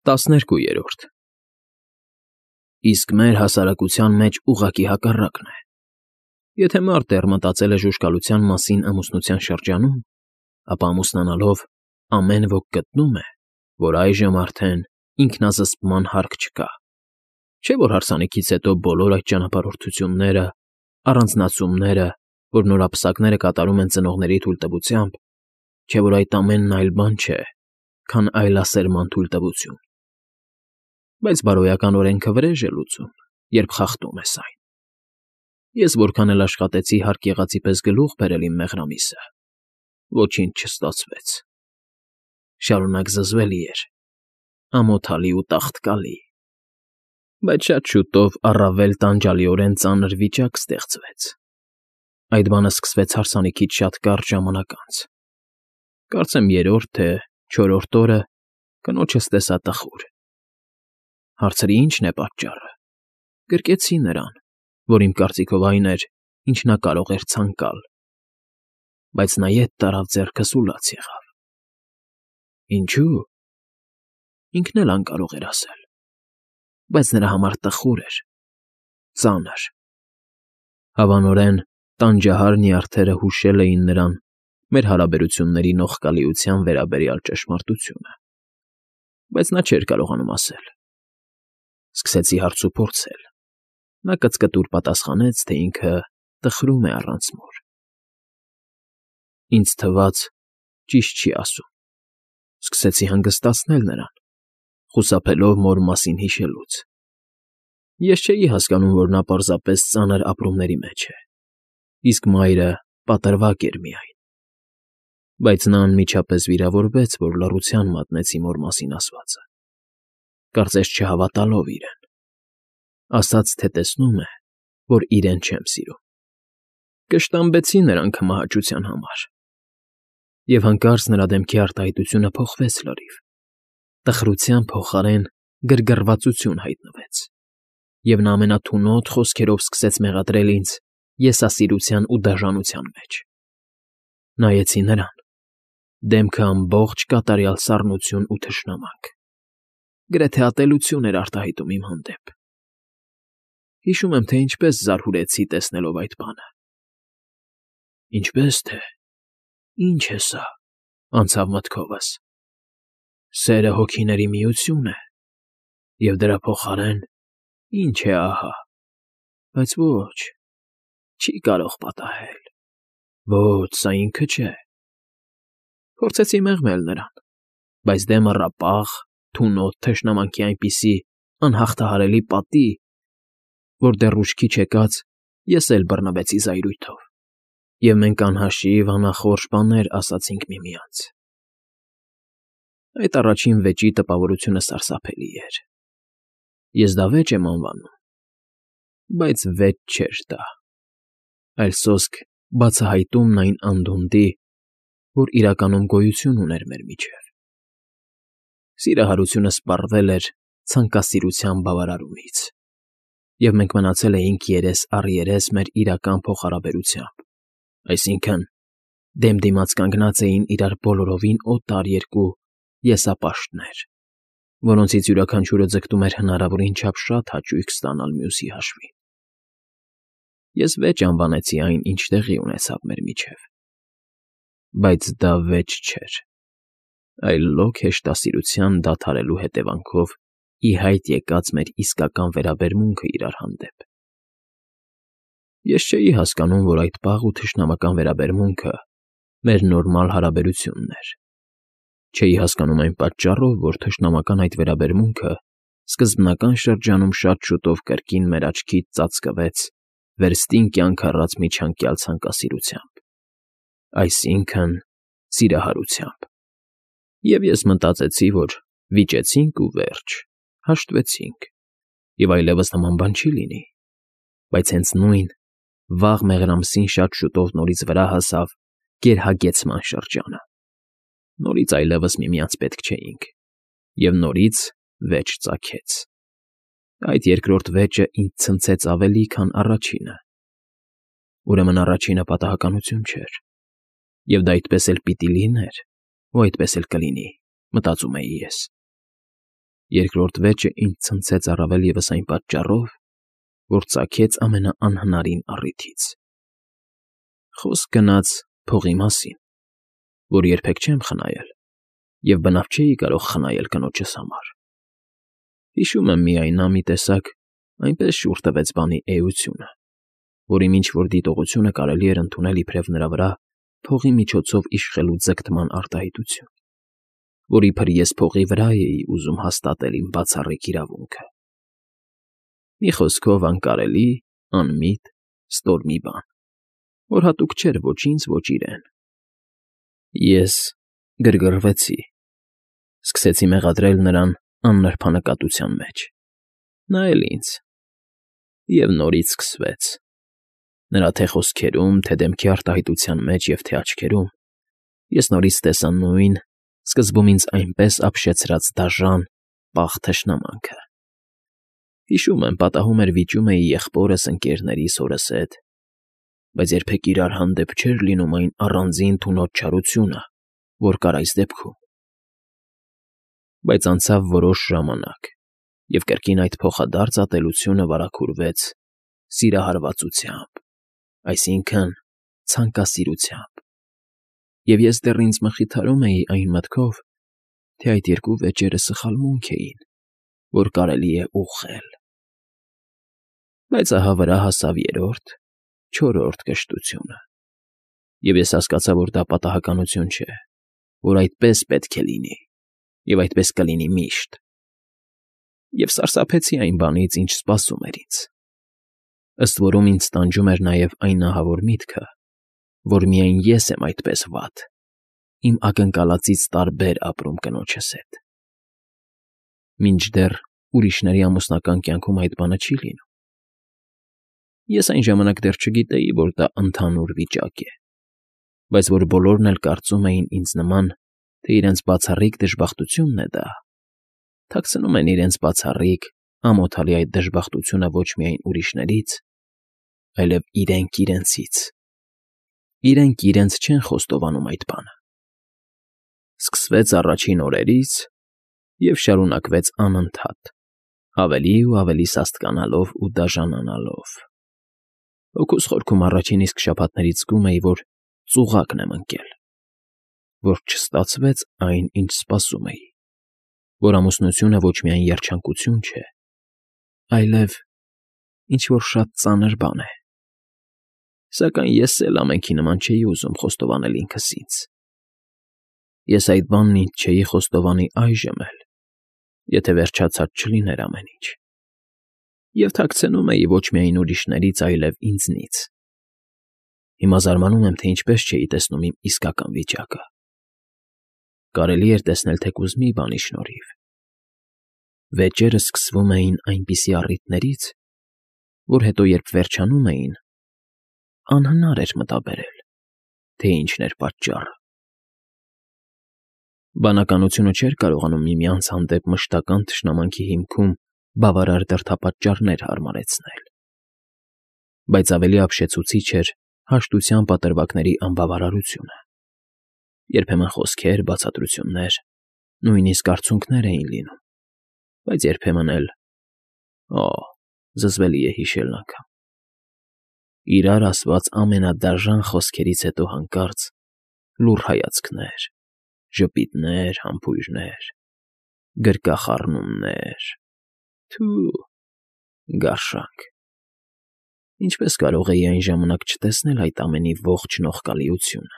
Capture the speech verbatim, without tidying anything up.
Տասներկուերորդ Իսկ մեր հասարակության մեջ ուղղակի հակառակն է. եթե մարդ դեռ մտածել է ժուժկալության մասին ամուսնության շրջանում, ապա ամուսնանալով ամեն ոք գտնում է, որ այժմ արդեն ինքնազսպման հարկ չկա, չէ՞ որ հարսանիքից հետո բոլոր այդ ճանապարհորդությունները, առանձնացումները, որ նորապսակները կատարում են ծնողների թույլտվությամբ, չէ՞ որ այդ ամենն այլ բան չէ, քան այլասերման թույլտվություն, բայց բարոյական օրենքը վրեժ է լուծում, երբ խախտում ես այն։ Ես որքան էլ աշխատեցի հարկ եղածի պես գլուխ բերել իմ մեղրամիսը, ոչինչ չստացվեց. շարունակ զզվելի էր, ամոթալի ու տաղտկալի, բայց շատ շուտով առավել տանջալիորեն ծանր վիճակ ստեղծվեց. այդ բանը սկսվեց հարսանիքից շատ կարճ ժամանակ անց, կարծեմ երրորդ, թե չորրորդ օրը կնոջս տեսա տխուր։ Հարցրի՝ ի՞նչն է պատճառը, գրկեցի նրան, որ իմ կարծիքով այն էր, ինչ նա կարող էր ցանկալ, բայց նա ետ տարավ ձեռքս ու լաց եղավ։ Ինչո՞ւ, ինքն էլ անկարող էր ասել, բայց նրա համար տխուր էր, ծանր։ Հավանորեն տանջահար նյարդերը հուշել էին նրան մեր հարաբերությունների նողկալիության վերաբերյալ ճշմարտությունը, բայց նա չէր կարողանում ասել։ Սկսեցի հարց ու փորձել, նա կծկտուր պատասխանեց, թե ինքը տխրում է առանց մոր։ Ինձ թվաց՝ ճիշտ չի ասում, սկսեցի հանգստացնել նրան, խուսափելով մոր մասին հիշելուց։ Ես չէի հասկանում, որ նա պարզապես ծանր ապրումների մեջ է, իսկ մայրը պատրվակ էր միայն, բայց նա անմիջապես վիրավորվեց, որ լռության մատնեցի մոր մասին ասվածը, կարծես չհավատալով իրեն, ասաց, թե տեսնում է, որ իրեն չեմ սիրում։ Կշտամբեցի նրան քմահաճության համար, և հանկարծ նրա դեմքի արտահայտությունը փոխվեց լրիվ, տխրության փոխարեն գրգռվածություն հայտնվեց, և նա ամենաթունոտ խոսքերով սկսեց մեղադրել ինձ եսասիրության ու դաժանության մեջ։ Նայեցի նրան, դեմքը ամբողջ կատարյալ սառնություն ու թշնամանք, գրեթե ատելություն էր արտահայտում իմ հանդեպ։ Հիշում եմ, թե ինչպես զարհուրեցի տեսնելով այդ բանը։ Ինչպե՞ս թե, ի՞նչ է սա, անցավ մտքովս։ Սերը հոգիների միություն է, և դրա փոխարեն ինչ է ահա, բայց ոչ, չի կարող պատահել, ոչ, սա ինքը չէ։ Փորձեցի մեղմել նրան, բայց դեմը ռապաղ, թունոտ թշնամանքի այնպիսի անհաղթահարելի պատի, որ դեռ ուշքի չեկած ես էլ բռնվեցի զայրույթով, և մենք անհաշիվ անախորժ բաներ ասացինք միմյանց։ Այդ առաջին վեճի տպավորությունը սարսափելի էր։ Ես դա վեճ եմ անվանում, բայց վեճ չէր դա, այլ սոսկ բացահայտումն այն անդունդի, որ իրականում գոյություն ուներ մեր միջև։ Սիրահարությունը սպառվել էր ցանկասիրության բավարարումից, և մենք մնացել էինք երես առ երես մեր իրական փոխհարաբերությամբ, այսինքն՝ դեմ դիմաց կանգնած էին իրար բոլորովին օտար երկու եսապաշտներ, որոնցից յուրաքանչյուրը ձգտում էր հնարավորին չափ շատ հաճույք ստանալ մյուսի հաշվին։ Ես վեճ անվանեցի այն, ինչ տեղի ունեցավ մեր միջև, բայց դա վեճ չէր, այլ լոկ հեշտասիրության դադարելու հետևանքով ի հայտ եկած մեր իսկական վերաբերմունքը իրար հանդեպ։ Ես չէի հասկանում, որ այդ պաղ ու թշնամական վերաբերմունքը մեր նորմալ հարաբերությունն էր, չէի հասկանում այն պատճառով, որ թշնամական այդ վերաբերմունքը սկզբնական շրջանում շատ շուտով կրկին մեր աչքից ծածկվեց վերստին կյանք առած միջանկյալ ցանկասիրությամբ, այսինքն՝ սիրահարությամբ, և ես մտածեցի, որ վիճեցինք ու վերջ, հաշտվեցինք, և այլևս նման բան չի լինի, բայց հենց նույն վաղ մեղրամսին շատ շուտով նորից վրա հասավ գերհագեցման շրջանը, նորից այլևս միմյանց պետք չէինք, և նորից վեճ ծագեց։ Այդ երկրորդ վեճը ինձ ցնցեց ավելի, քան առաջինը։ Ուրեմն առաջինը պատահականություն չէր, և դա այդպես էլ պիտի լիներ, ու այդպես էլ կլինի, մտածում էի ես։ երկրորդ վեճը ինձ ցնցեց առավել ևս այն պատճառով, որ ծագեց ամենաանհնարին առիթից. խոսք գնաց փողի մասին, որ երբեք չեմ խնայել և բնավ չէի կարող խնայել կնոջս համար. հիշում եմ միայն, նա մի տեսակ այնպես շուռ տվեց բանի էությունը, որ իմ ինչ֊որ դիտողությունը կարելի էր ընդունել իբրև նրա վրա փողի միջոցով իշխելու ձգտման արտահայտություն, որ իբր ես փողի վրա էի ուզում հաստատել իմ բացառիկ իրավունքը. մի խոսքով անկարելի, անմիտ, ստոր մի բան, որ հատուկ չէր ոչ ինձ, ոչ իրեն. Ես գրգռվեցի, սկսեցի մեղադրել նրան աննրբանկատության մեջ, նա էլ ինձ, և նորից սկսվեց. նրա թե խոսքերում, թե դեմքի արտահայտության մեջ և թե աչքերում ես նորից տեսա նույն, սկզբում ինձ այնպես ապշեցրած դաժան, պաղ թշնամանքը. հիշում եմ, պատահում էր վիճում էի եղբորս, ընկներներիս, հորս հետ, բայց երբեք իրար հանդեպ չէր լինում այն առանձին թունոտ չարությունը, որ կար այս դեպքում. բայց անցավ որոշ ժամանակ, և կրկին այդ փոխադարձ ատելությունը վարագուրվեց սիրահարվածությամբ, այսինքն՝ ցանկասիրությամբ, և ես դեռ ինձ մխիթարում էի այն մտքով, թե այդ երկու վեճերը սխալմունք էին, որ կարելի է ուղղել. բայց ահա վրա հասավ երրորդ, չորրորդ կշտությունը, և ես հասկացա, որ դա պատահականություն չէ, որ այդպես պետք է լինի, և այդպես կլինի միշտ, և սարսափեցի այն բանից, ինչ սպասում էր ինձ. ըստ որում ինձ տանջում էր նաև այն ահավոր միտքը, որ միայն ես եմ այդպես վատ, իմ ակնկալածից տարբեր ապրում կնոջս հետ, մինչդեռ ուրիշների ամուսնական կյանքում այդ բանը չի լինում. ես այն ժամանակ դեռ չգիտեի, որ դա ընդհանուր վիճակ է, բայց որ բոլորն էլ կարծում էին ինձ նման, թե իրենց բացառիկ դժբախտությունն է դա, թաքցնում են իրենց բացառիկ, ամոթալի այդ դժբախտությունը ոչ միայն ուրիշներից, այլև իրենք իրենցից, իրենք իրենց չեն խոստովանում այդ բանը. սկսվեց առաջին օրերից և շարունակվեց անընդհատ, ավելի ու ավելի սաստկանալով ու դաժանանալով. հոգուս խորքում առաջին իսկ շաբաթներից զգում էի, որ ծուղակն եմ ընկել, որ չստացվեց այն, ինչ սպասում էի, որ ամուսնությունը ոչ միայն երջանկություն չէ, այլև ինչ֊որ շատ ծանր բան է, սակայն ես էլ ամենքի նման չէի ուզում խոստովանել ինքս ինձ. ես այդ բանն ինձ չէի խոստովանի այժմ էլ, եթե վերջացած չլիներ ամեն ինչ, և թաքցնում էի ոչ միայն ուրիշներից, այլև ինձնից. հիմա զարմանում եմ, թե ինչպես չէի տեսնում իմ իսկական վիճակը. կարելի էր տեսնել թեկուզ մի բանի շնորհիվ. վեճերը սկսվում էին այնպիսի առիթներից, որ հետո երբ վերջանում էին, անհնար էր մտաբերել, թե ինչն էր պատճառը. բանականությունը չէր կարողանում միմյանց հանդեպ մշտական թշնամանքի հիմքում բավարար դրդապատճառներ հարմարեցնել, բայց ավելի ապշեցուցիչ էր հաշտության պատրվակների անբավարարությունը, երբեմն խոսքեր, բացատրություններ, նույնիսկ արցունքներ էին լինում, բայց երբեմն էլ, օ, զզվելի է հիշելն անգամ, իրար ասված ամենադաժան խոսքերից հետո հանկարծ լուռ հայացքներ, ժպիտներ, համբույրներ, գրկախառնումներ, թո՛ւ, գարշանք… Ինչպես կարող էի այն ժամանակ չտեսնել այդ ամենի ողջ նողկալիությունը,